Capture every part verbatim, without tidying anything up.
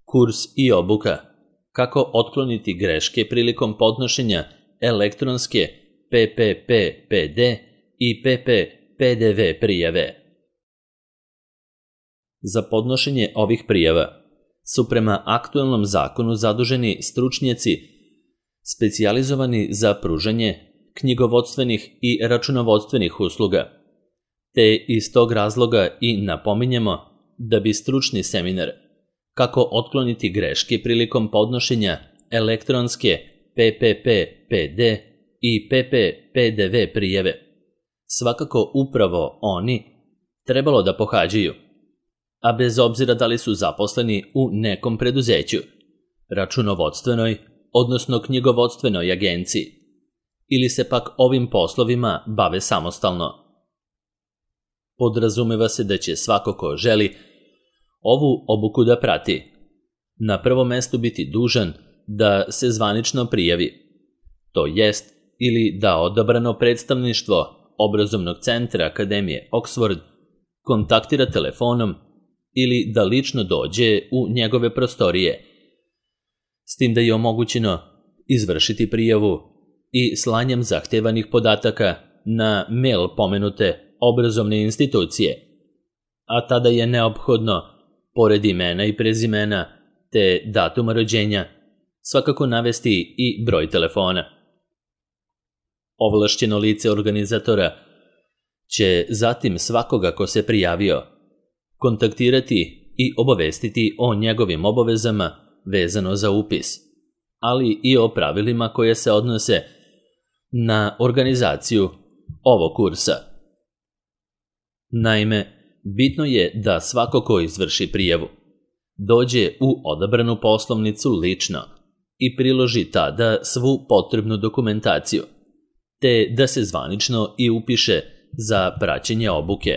Kurs i obuka. Kako otkloniti greške prilikom podnošenja elektronske P P P P D i P P P D V prijave. Za podnošenje ovih prijava su prema aktuelnom zakonu zaduženi stručnjaci specijalizovani za pružanje knjigovodstvenih i računovodstvenih usluga, te iz tog razloga i napominjemo da bi stručni seminar kako otkloniti greške prilikom podnošenja elektronske P P P P D i P P P D V prijave svakako upravo oni trebalo da pohađaju, a bez obzira da li su zaposleni u nekom preduzeću, računovodstvenoj, odnosno knjigovodstvenoj agenciji, ili se pak ovim poslovima bave samostalno. Podrazumeva se da će svako ko želi ovu obuku da prati na prvom mestu biti dužan da se zvanično prijavi, to jest ili da odabrano predstavništvo obrazovnog centra Akademije Oxford kontaktira telefonom ili da lično dođe u njegove prostorije, s tim da je omogućeno izvršiti prijavu i slanjem zahtevanih podataka na mail pomenute obrazovne institucije, a tada je neophodno, pored imena i prezimena te datuma rođenja, svakako navesti i broj telefona. Ovlašćeno lice organizatora će zatim svakoga ko se prijavio kontaktirati i obavestiti o njegovim obavezama vezano za upis, ali i o pravilima koje se odnose na organizaciju ovog kursa. Naime, bitno je da svako ko izvrši prijavu dođe u odabranu poslovnicu lično i priloži tada svu potrebnu dokumentaciju, te da se zvanično i upiše za praćenje obuke.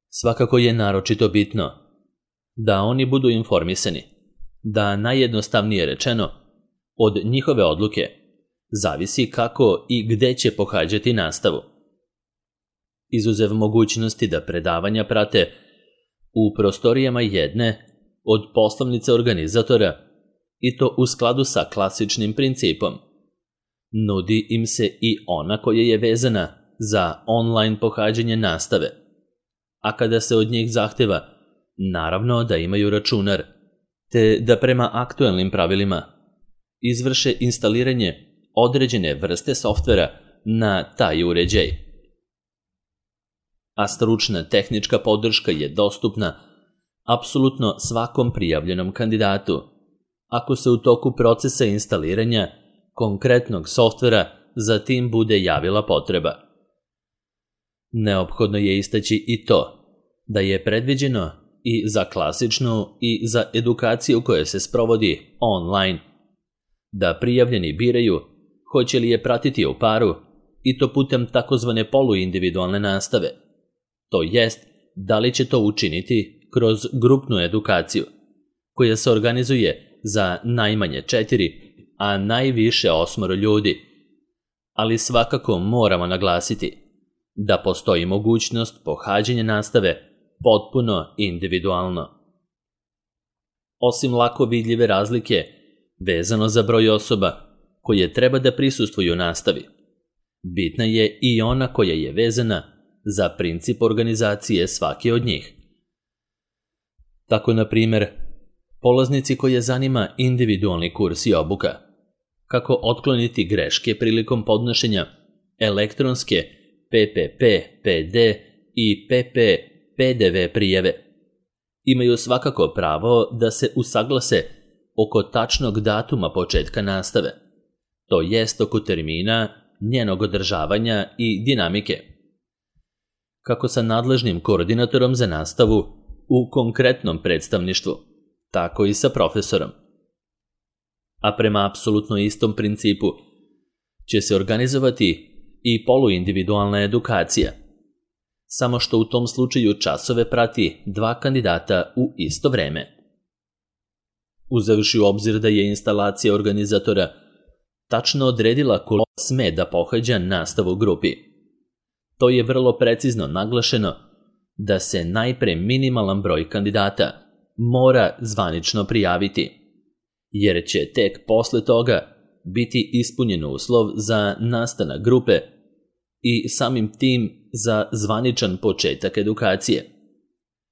Svakako je naročito bitno da oni budu informisani, da najjednostavnije rečeno od njihove odluke zavisi kako i gde će pohađati nastavu. Izuzev mogućnosti da predavanja prate u prostorijama jedne od poslovnice organizatora, i to u skladu sa klasičnim principom, nudi im se i ona koja je vezana za online pohađanje nastave, a kada se od njih zahteva, naravno da imaju računar, te da prema aktuelnim pravilima izvrše instaliranje određene vrste softvera na taj uređaj. A stručna tehnička podrška je dostupna apsolutno svakom prijavljenom kandidatu, ako se u toku procesa instaliranja konkretnog softvera za tim bude javila potreba. Neophodno je istaći i to da je predviđeno i za klasičnu i za edukaciju koja se sprovodi online, da prijavljeni biraju hoće li je pratiti u paru i to putem takozvane poluindividualne nastave, to jest da li će to učiniti kroz grupnu edukaciju koja se organizuje za najmanje četiri, a najviše osmoro ljudi, ali svakako moramo naglasiti da postoji mogućnost pohađanja nastave potpuno individualno. Osim lako vidljive razlike vezano za broj osoba koje treba da prisustvuju nastavi, bitna je i ona koja je vezana za princip organizacije svake od njih. Tako, na primjer, polaznici koje zanima individualni kurs i obuka, kako otkloniti greške prilikom podnošenja elektronske P P P P D i P P P D V prijave, imaju svakako pravo da se usaglase oko tačnog datuma početka nastave, to jest oko termina, njenog održavanja i dinamike, kako sa nadležnim koordinatorom za nastavu u konkretnom predstavništvu, tako i sa profesorom. A prema apsolutno istom principu će se organizovati i poluindividualna edukacija, samo što u tom slučaju časove prati dva kandidata u isto vreme. Uzevši u obzir da je instalacija organizatora tačno odredila ko sme da pohađa nastavu u grupi, to je vrlo precizno naglašeno da se najpre minimalan broj kandidata mora zvanično prijaviti, jer će tek posle toga biti ispunjen uslov za nastanak grupe i samim tim za zvaničan početak edukacije,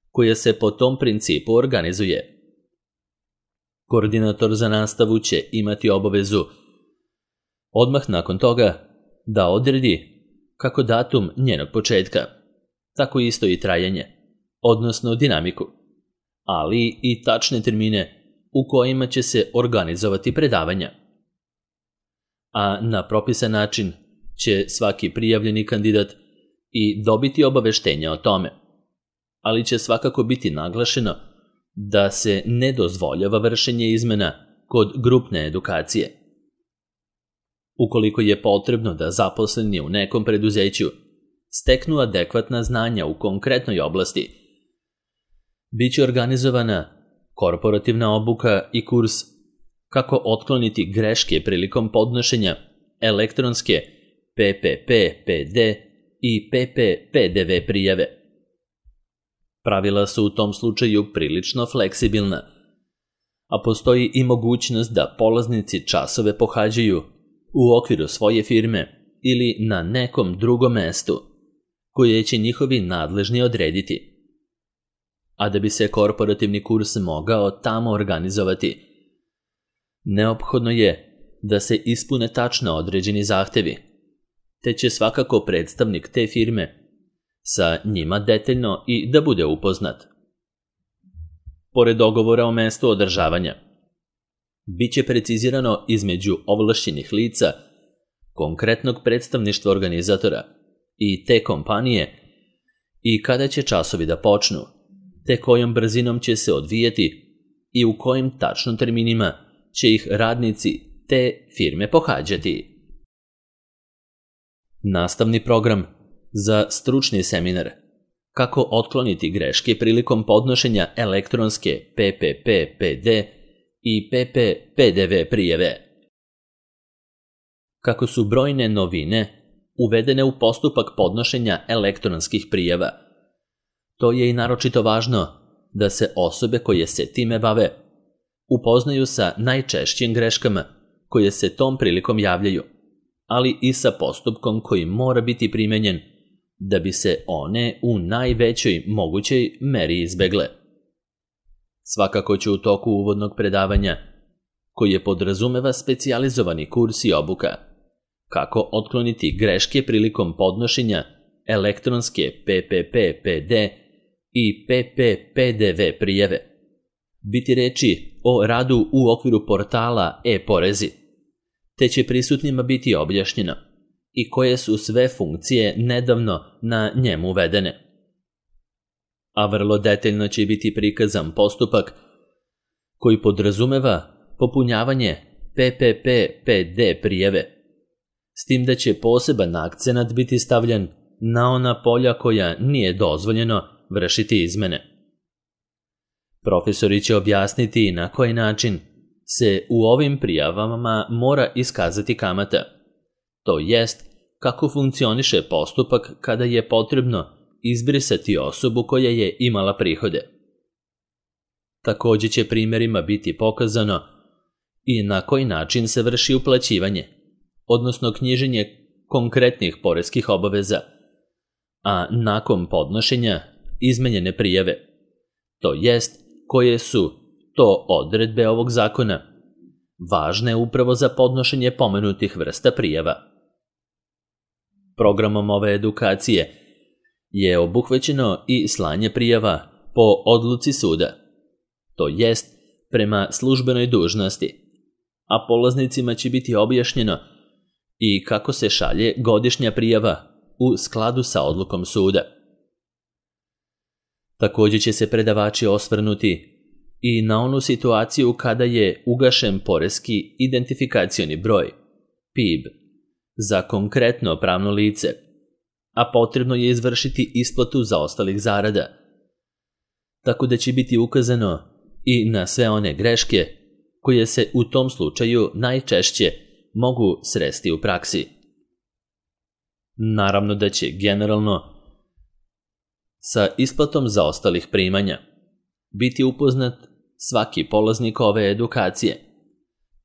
koja se po tom principu organizuje. Koordinator za nastavu će imati obavezu odmah nakon toga da odredi kako datum njenog početka, tako isto i trajanje, odnosno dinamiku, ali i tačne termine u kojima će se organizovati predavanja. A na propisan način će svaki prijavljeni kandidat i dobiti obaveštenja o tome, ali će svakako biti naglašeno da se ne dozvoljava vršenje izmena kod grupne edukacije. Ukoliko je potrebno da zaposleni u nekom preduzeću steknu adekvatna znanja u konkretnoj oblasti, bit će organizovana korporativna obuka i kurs kako otkloniti greške prilikom podnošenja elektronske P P P P D i P P P D V prijave. Pravila su u tom slučaju prilično fleksibilna, a postoji i mogućnost da polaznici časove pohađaju u okviru svoje firme ili na nekom drugom mestu koje će njihovi nadležni odrediti. A da bi se korporativni kurs mogao tamo organizovati, neophodno je da se ispune tačno određeni zahtevi, te će svakako predstavnik te firme sa njima detaljno i da bude upoznat. Pored dogovora o mestu održavanja, bit će precizirano između ovlašćenih lica, konkretnog predstavništva organizatora i te kompanije i kada će časovi da počnu, te kojom brzinom će se odvijeti i u kojim tačno terminima će ih radnici te firme pohađati. Nastavni program za stručni seminar kako otkloniti greške prilikom podnošenja elektronske P P P P D i P P P D V prijave. Kako su brojne novine uvedene u postupak podnošenja elektronskih prijava, to je i naročito važno da se osobe koje se time bave upoznaju sa najčešćim greškama koje se tom prilikom javljaju, ali i sa postupkom koji mora biti primenjen da bi se one u najvećoj mogućoj meri izbegle. Svakako ću u toku uvodnog predavanja, koje podrazumeva specijalizovani kurs i obuka, kako otkloniti greške prilikom podnošenja elektronske P P P P D i P P P D V prijave, biti reči o radu u okviru portala e-porezi, te će prisutnima biti objašnjeno i koje su sve funkcije nedavno na njemu uvedene. A vrlo detaljno će biti prikazan postupak koji podrazumeva popunjavanje P P P P D prijave, s tim da će poseban akcenat biti stavljen na ona polja koja nije dozvoljeno vršiti izmene. Profesori će objasniti na koji način se u ovim prijavama mora iskazati kamata, to jest kako funkcioniše postupak kada je potrebno izbrisati osobu koja je imala prihode. Također će primjerima biti pokazano i na koji način se vrši uplaćivanje, odnosno knjiženje konkretnih poreskih obaveza, a nakon podnošenja izmenjene prijave, to jest koje su to odredbe ovog zakona, važne upravo za podnošenje pomenutih vrsta prijava. Programom ove edukacije je obuhvaćeno i slanje prijava po odluci suda, to jest prema službenoj dužnosti, a polaznicima će biti objašnjeno i kako se šalje godišnja prijava u skladu sa odlukom suda. Također će se predavači osvrnuti i na onu situaciju kada je ugašen poreski identifikacioni broj, P I B, za konkretno pravno lice, a potrebno je izvršiti isplatu zaostalih zarada, tako da će biti ukazano i na sve one greške koje se u tom slučaju najčešće mogu sresti u praksi. Naravno da će generalno sa isplatom zaostalih primanja biti upoznat svaki polaznik ove edukacije,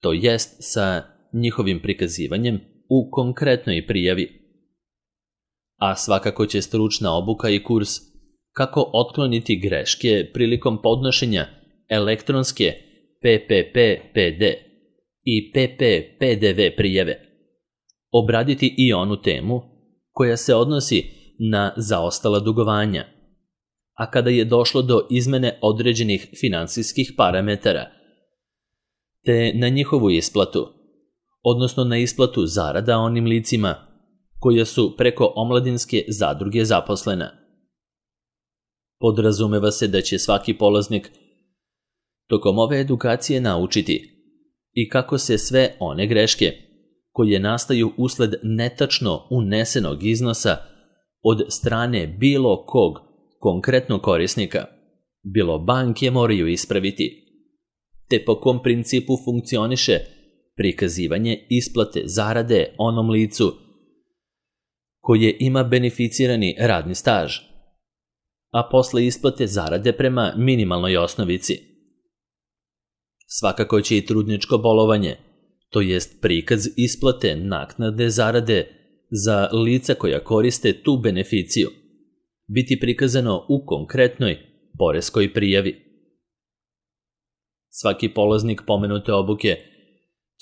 to jest sa njihovim prikazivanjem u konkretnoj prijavi. A svakako će stručna obuka i kurs kako otkloniti greške prilikom podnošenja elektronske P P P P D i P P P D V prijave obraditi i onu temu koja se odnosi na zaostala dugovanja, a kada je došlo do izmene određenih finansijskih parametara, te na njihovu isplatu, odnosno na isplatu zarada onim licima koja su preko omladinske zadruge zaposlena. Podrazumeva se da će svaki polaznik tokom ove edukacije naučiti i kako se sve one greške koje nastaju usled netačno unesenog iznosa od strane bilo kog konkretnog korisnika, bilo banke, moraju ispraviti, te po kom principu funkcioniše prikazivanje isplate zarade onom licu koje ima beneficirani radni staž, a posle isplate zarade prema minimalnoj osnovici. Svakako će i trudničko bolovanje, to jest prikaz isplate naknade zarade za lica koja koriste tu beneficiju, biti prikazano u konkretnoj poreskoj prijavi. Svaki polaznik pomenute obuke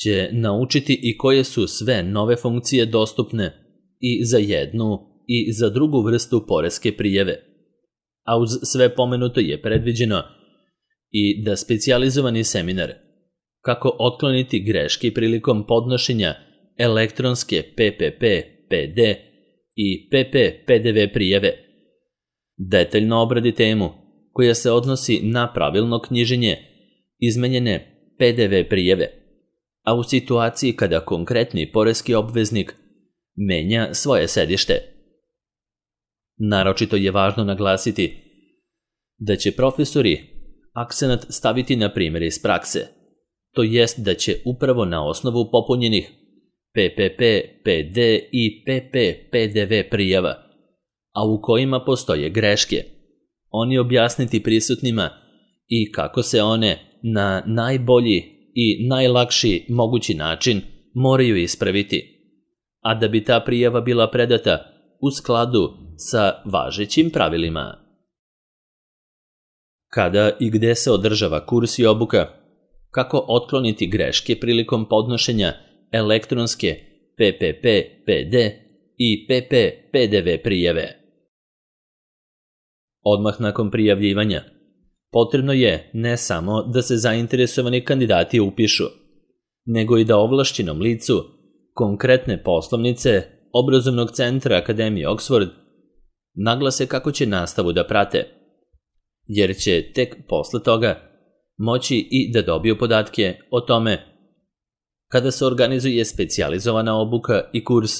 će naučiti i koje su sve nove funkcije dostupne i za jednu i za drugu vrstu poreske prijave, a uz sve pomenuto je predviđeno i da specijalizovani seminar kako otkloniti greške prilikom podnošenja elektronske P P P P D i P P P D V prijave detaljno obradi temu koja se odnosi na pravilno knjiženje izmenjene P D V prijave, a u situaciji kada konkretni poreski obveznik menja svoje sedište. Naročito je važno naglasiti da će profesori akcenat staviti na primjer iz prakse, to jest da će upravo na osnovu popunjenih P P P P D i P P P D V prijava, a u kojima postoje greške, oni objasniti prisutnima i kako se one na najbolji i najlakši mogući način moraju ispraviti, a da bi ta prijava bila predata u skladu sa važećim pravilima. Kada i gde se održava kurs i obuka, kako otkloniti greške prilikom podnošenja elektronske P P P P D i P P P D V prijave. Odmah nakon prijavljivanja, potrebno je ne samo da se zainteresovani kandidati upišu, nego i da ovlašćenom licu konkretne poslovnice obrazovnog centra Akademije Oxford naglase kako će nastavu da prate, jer će tek posle toga moći i da dobiju podatke o tome kada se organizuje specijalizovana obuka i kurs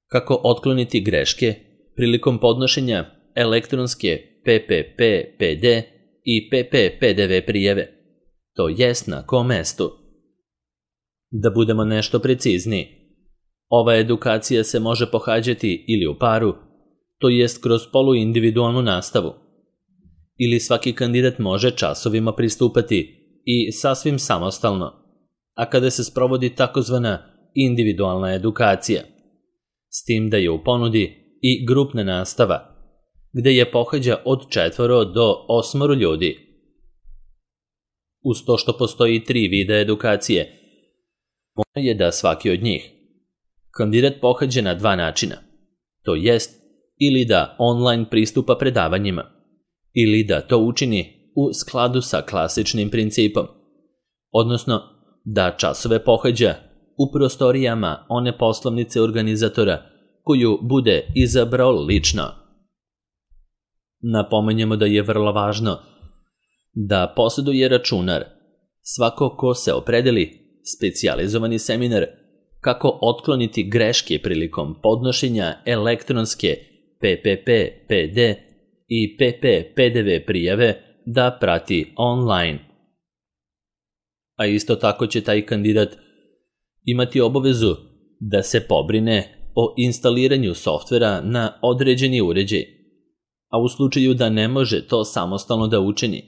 kako otkloniti greške prilikom podnošenja elektronske P P P P D i P P P D V prijave, to jest na kom mestu. Da budemo nešto precizniji, ova edukacija se može pohađati ili u paru, to jest kroz poluindividualnu nastavu, ili svaki kandidat može časovima pristupati i sasvim samostalno, a kada se sprovodi takozvana individualna edukacija, s tim da je u ponudi i grupna nastava, gde je pohađa od četvoro do osmoro ljudi. Uz to što postoji tri vida edukacije, možno je da svaki od njih kandidat pohađa na dva načina, to jest ili da online pristupa predavanjima, ili da to učini u skladu sa klasičnim principom, odnosno da časove pohađa u prostorijama one poslovnice organizatora koju bude izabrao lično. Napomenjemo da je vrlo važno da posjeduje računar svako ko se opredeli specijalizovani seminar kako otkloniti greške prilikom podnošenja elektronske P P P P D i P P P D V prijave da prati online. A isto tako će taj kandidat imati obavezu da se pobrine o instaliranju softvera na određeni uređaj, a u slučaju da ne može to samostalno da učini,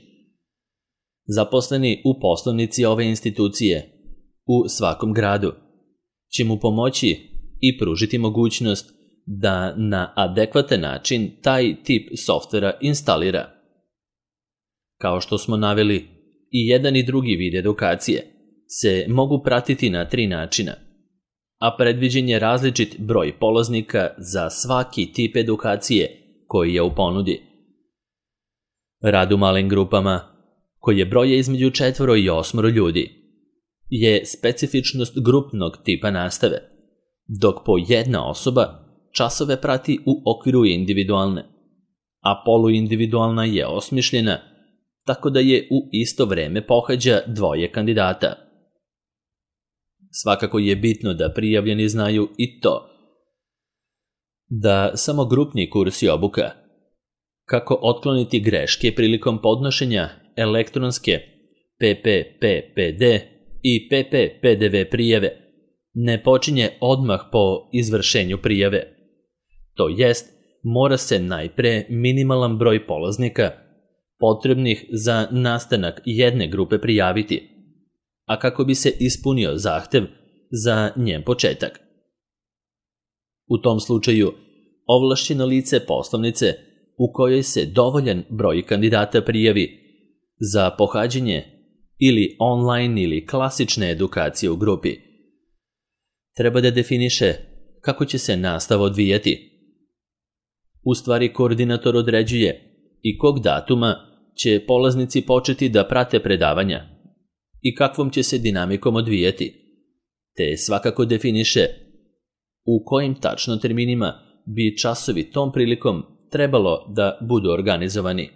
Zaposleni u poslovnici ove institucije u svakom gradu će mu pomoći i pružiti mogućnost da na adekvatan način taj tip softvera instalira. Kao što smo naveli, i jedan i drugi vid edukacije se mogu pratiti na tri načina, a predviđen je različit broj polaznika za svaki tip edukacije koji je u ponudi. Rad u malim grupama, koje broje između četvoro i osmoro ljudi, je specifičnost grupnog tipa nastave, dok po jedna osoba časove prati u okviru individualne, a poluindividualna je osmišljena tako da je u isto vreme pohađa dvoje kandidata. Svakako je bitno da prijavljeni znaju i to da samo grupni kurs i obuka, kako otkloniti greške prilikom podnošenja elektronske P P P P D i P P P D V prijave, ne počinje odmah po izvršenju prijave. To jest, mora se najpre minimalan broj polaznika potrebnih za nastanak jedne grupe prijaviti, a kako bi se ispunio zahtev za njen početak. U tom slučaju, ovlašćeno lice poslovnice u kojoj se dovoljan broj kandidata prijavi za pohađanje ili online ili klasične edukacije u grupi, treba da definiše kako će se nastava odvijati. U stvari, koordinator određuje i kog datuma će polaznici početi da prate predavanja i kakvom će se dinamikom odvijati, te svakako definiše u kojim tačno terminima bi časovi tom prilikom trebalo da budu organizovani.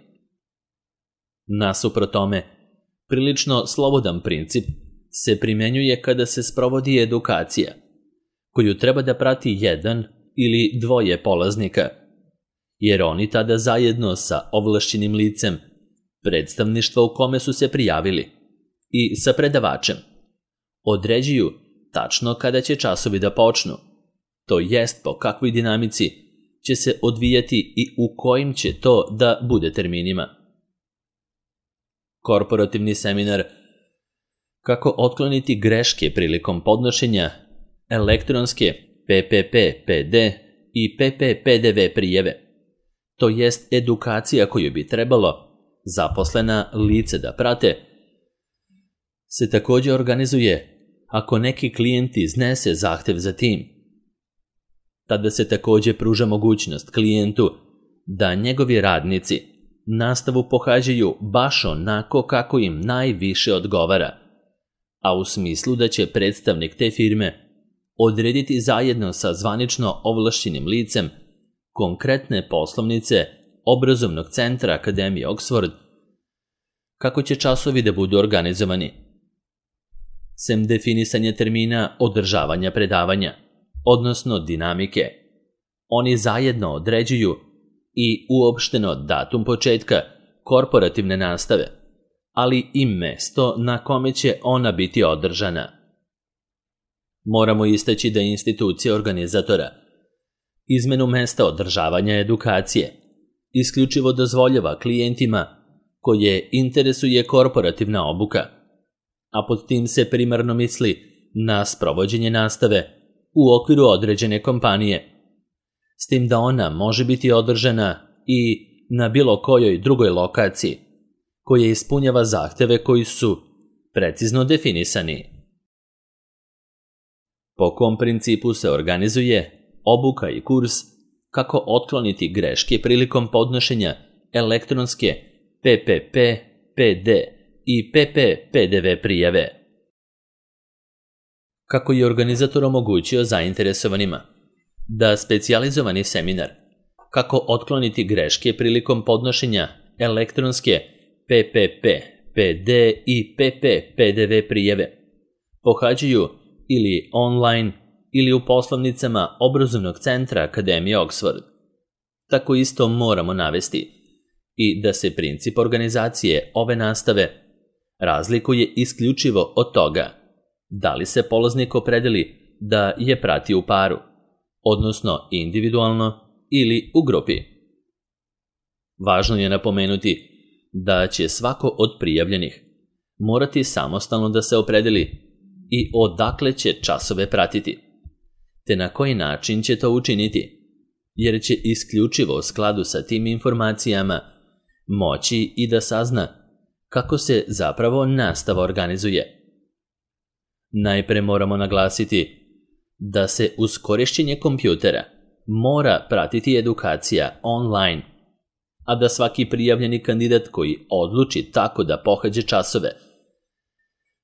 Nasuprot tome, prilično slobodan princip se primenjuje kada se sprovodi edukacija, koju treba da prati jedan ili dvoje polaznika, jer oni tada zajedno sa ovlašćenim licem predstavništva u kome su se prijavili i sa predavačem određuju tačno kada će časovi da počnu, to jest po kakvoj dinamici će se odvijati i u kojim će to da bude terminima. Korporativni seminar kako otkloniti greške prilikom podnošenja elektronske P P P P D i P P P D V prijeve, to jest edukacija koju bi trebalo zaposlena lice da prate, se također organizuje ako neki klijent iznese zahtev za tim. Tada se također pruža mogućnost klijentu da njegovi radnici nastavu pohađaju baš onako kako im najviše odgovara, a u smislu da će predstavnik te firme odrediti zajedno sa zvanično ovlašćenim licem konkretne poslovnice obrazovnog centra Akademije Oxford kako će časovi da budu organizovani. Sem definisanja termina održavanja predavanja, odnosno dinamike, oni zajedno određuju i uopšteno datum početka korporativne nastave, ali i mesto na kome će ona biti održana. Moramo istaći da institucija organizatora izmenu mesta održavanja edukacije isključivo dozvoljava klijentima koje interesuje korporativna obuka, a pod tim se primarno misli na sprovođenje nastave u okviru određene kompanije, s tim da ona može biti održana i na bilo kojoj drugoj lokaciji koja ispunjava zahteve koji su precizno definisani. Po kom principu se organizuje obuka i kurs kako otkloniti greške prilikom podnošenja elektronske P P P P D i P P P D V prijave. Kako je organizator omogućio zainteresovanima da specijalizovani seminar kako otkloniti greške prilikom podnošenja elektronske P P P P D i P P P D V prijave pohađaju ili online ili u poslovnicama obrazovnog centra Akademije Oxford. Tako isto moramo navesti i da se princip organizacije ove nastave razlikuje isključivo od toga da li se polaznik opredeli da je prati u paru, odnosno individualno ili u grupi. Važno je napomenuti da će svako od prijavljenih morati samostalno da se opredeli i odakle će časove pratiti, te na koji način će to učiniti, jer će isključivo u skladu sa tim informacijama moći i da sazna kako se zapravo nastava organizuje. Najpre moramo naglasiti da se uz korišćenje kompjutera mora pratiti edukacija online, a da svaki prijavljeni kandidat koji odluči tako da pohađa časove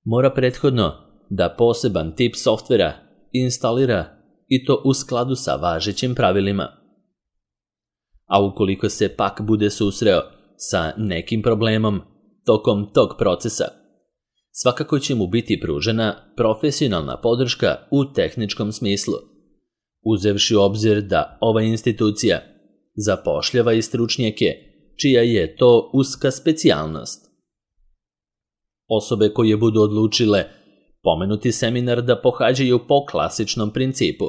mora prethodno da poseban tip softvera instalira i to u skladu sa važećim pravilima. A ukoliko se pak bude susreo sa nekim problemom tokom tog procesa, svakako će mu biti pružena profesionalna podrška u tehničkom smislu, uzevši u obzir da ova institucija zapošljava i stručnjake čija je to uska specijalnost. Osobe koje budu odlučile pomenuti seminar da pohađaju po klasičnom principu,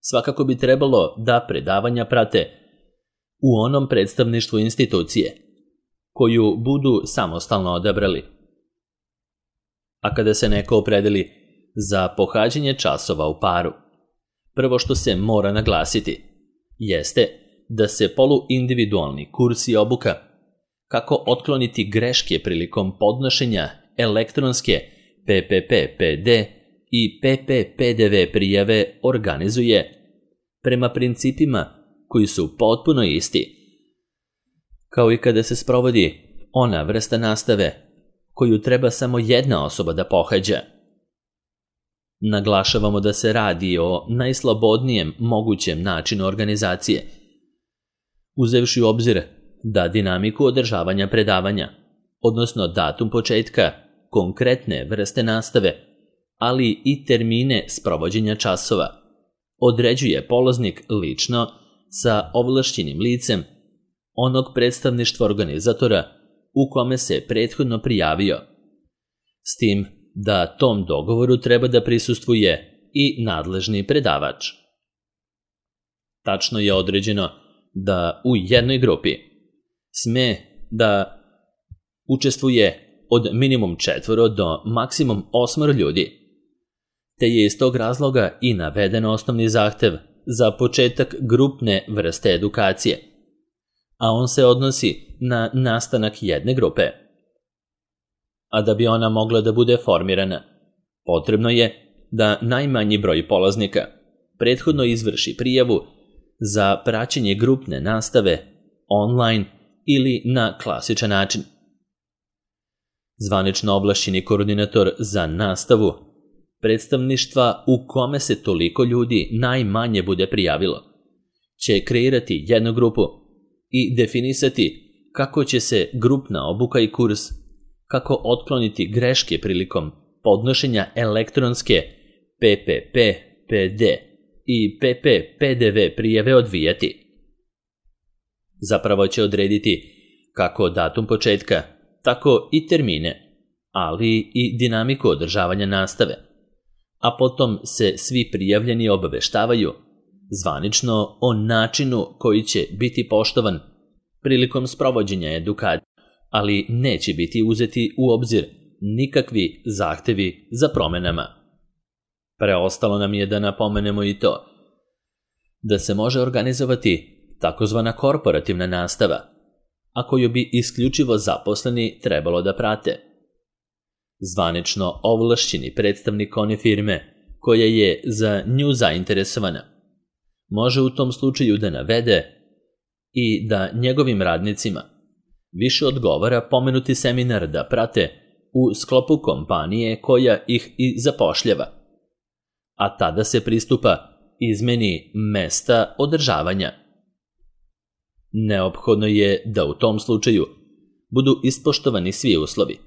svakako bi trebalo da predavanja prate u onom predstavništvu institucije koju budu samostalno odabrali. A kada se neko opredeli za pohađanje časova u paru, prvo što se mora naglasiti jeste da se poluindividualni kurs i obuka kako otkloniti greške prilikom podnošenja elektronske P P P P D i P P P D V prijave organizuje prema principima koji su potpuno isti, kao i kada se sprovodi ona vrsta nastave koju treba samo jedna osoba da pohađa. Naglašavamo da se radi o najslobodnijem mogućem načinu organizacije, uzevši u obzir da dinamiku održavanja predavanja, odnosno datum početka konkretne vrste nastave, ali i termine sprovođenja časova, određuje polaznik lično sa ovlašćenim licem onog predstavništva organizatora u kome se prethodno prijavio, s tim da tom dogovoru treba da prisustvuje i nadležni predavač. Tačno je određeno da u jednoj grupi sme da učestvuje od minimum četvoro do maksimum osmoro ljudi, te je iz tog razloga i naveden osnovni zahtev za početak grupne vrste edukacije, a on se odnosi na nastanak jedne grupe. A da bi ona mogla da bude formirana, potrebno je da najmanji broj polaznika prethodno izvrši prijavu za praćenje grupne nastave online ili na klasičan način. Zvanično ovlašćeni koordinator za nastavu predstavništva u kome se toliko ljudi najmanje bude prijavilo će kreirati jednu grupu i definisati kako će se grupna obuka i kurs, kako otkloniti greške prilikom podnošenja elektronske P P P P D i P P P D V prijave odvijati. Zapravo će odrediti kako datum početka, tako i termine, ali i dinamiku održavanja nastave, a potom se svi prijavljeni obaveštavaju zvanično o načinu koji će biti poštovan prilikom sprovođenja edukacije, ali neće biti uzeti u obzir nikakvi zahtevi za promenama. Preostalo nam je da napomenemo i to da se može organizovati takozvana korporativna nastava, a koju bi isključivo zaposleni trebalo da prate. Zvanično ovlašćeni predstavnik one firme koja je za nju zainteresovana može u tom slučaju da navede i da njegovim radnicima više odgovara pomenuti seminar da prate u sklopu kompanije koja ih i zapošljava, a tada se pristupa izmeni mesta održavanja. Neophodno je da u tom slučaju budu ispoštovani svi uslovi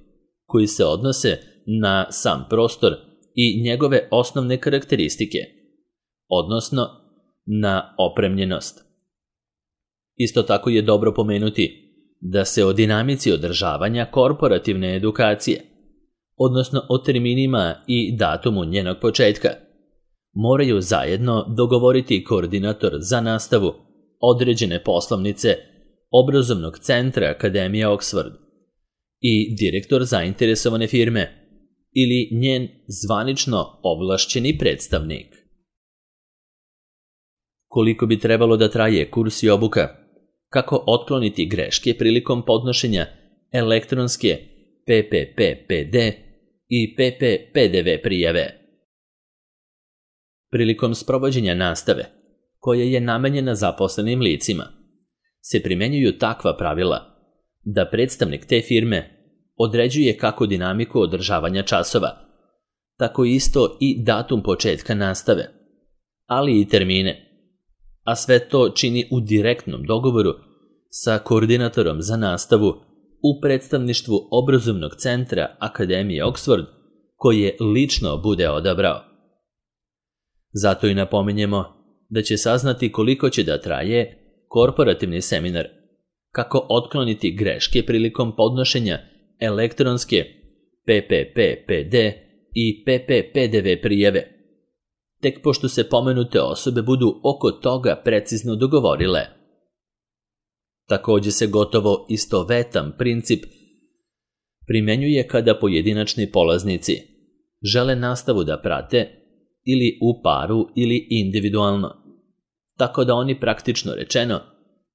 koji se odnose na sam prostor i njegove osnovne karakteristike, odnosno na opremljenost. Isto tako je dobro pomenuti da se o dinamici održavanja korporativne edukacije, odnosno o terminima i datumu njenog početka, moraju zajedno dogovoriti koordinator za nastavu određene poslovnice obrazovnog centra Akademije Oxford i direktor zainteresovane firme ili njen zvanično ovlašćeni predstavnik. Koliko bi trebalo da traje kurs i obuka? Kako otkloniti greške prilikom podnošenja elektronske P P P P D i P P P D V prijave? Prilikom sprovođenja nastave, koja je namenjena zaposlenim licima, se primenjuju takva pravila da predstavnik te firme određuje kako dinamiku održavanja časova, tako isto i datum početka nastave, ali i termine, a sve to čini u direktnom dogovoru sa koordinatorom za nastavu u predstavništvu obrazovnog centra Akademije Oxford, koje lično bude odabrao. Zato i napominjemo da će saznati koliko će da traje korporativni seminar, kako otkloniti greške prilikom podnošenja elektronske P P P P D i P P P D V prijave, tek pošto se pomenute osobe budu oko toga precizno dogovorile. Takođe se gotovo istovetan princip primenjuje kada pojedinačni polaznici žele nastavu da prate ili u paru ili individualno, tako da oni praktično rečeno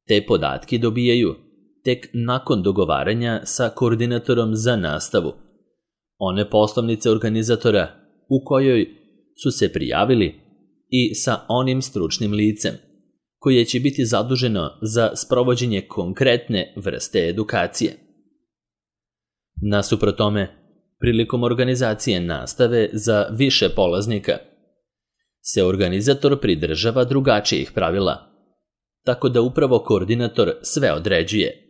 te podatke dobijaju tek nakon dogovaranja sa koordinatorom za nastavu, one poslovnice organizatora u kojoj su se prijavili i sa onim stručnim licem koje će biti zaduženo za sprovođenje konkretne vrste edukacije. Nasuprot tome, prilikom organizacije nastave za više polaznika, se organizator pridržava drugačijih pravila, tako da upravo koordinator sve određuje.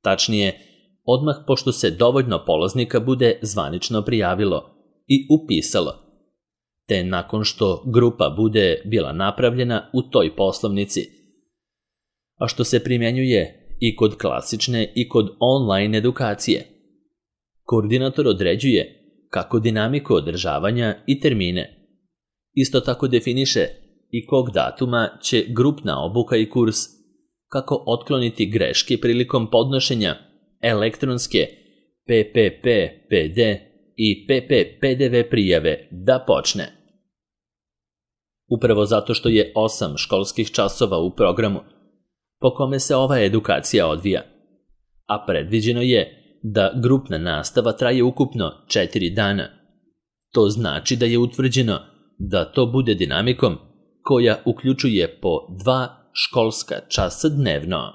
Tačnije, odmah pošto se dovoljno polaznika bude zvanično prijavilo i upisalo, te nakon što grupa bude bila napravljena u toj poslovnici, a što se primjenjuje i kod klasične i kod online edukacije. Koordinator određuje kako dinamiku održavanja i termine. Isto tako definiše i kog datuma će grupna obuka i kurs, kako otkloniti greške prilikom podnošenja elektronske P P P P D i P P P D V prijave da počne. Upravo zato što je osam školskih časova u programu po kome se ova edukacija odvija, a predviđeno je da grupna nastava traje ukupno četiri dana. To znači da je utvrđeno da to bude dinamikom koja uključuje po dva školska časa dnevno.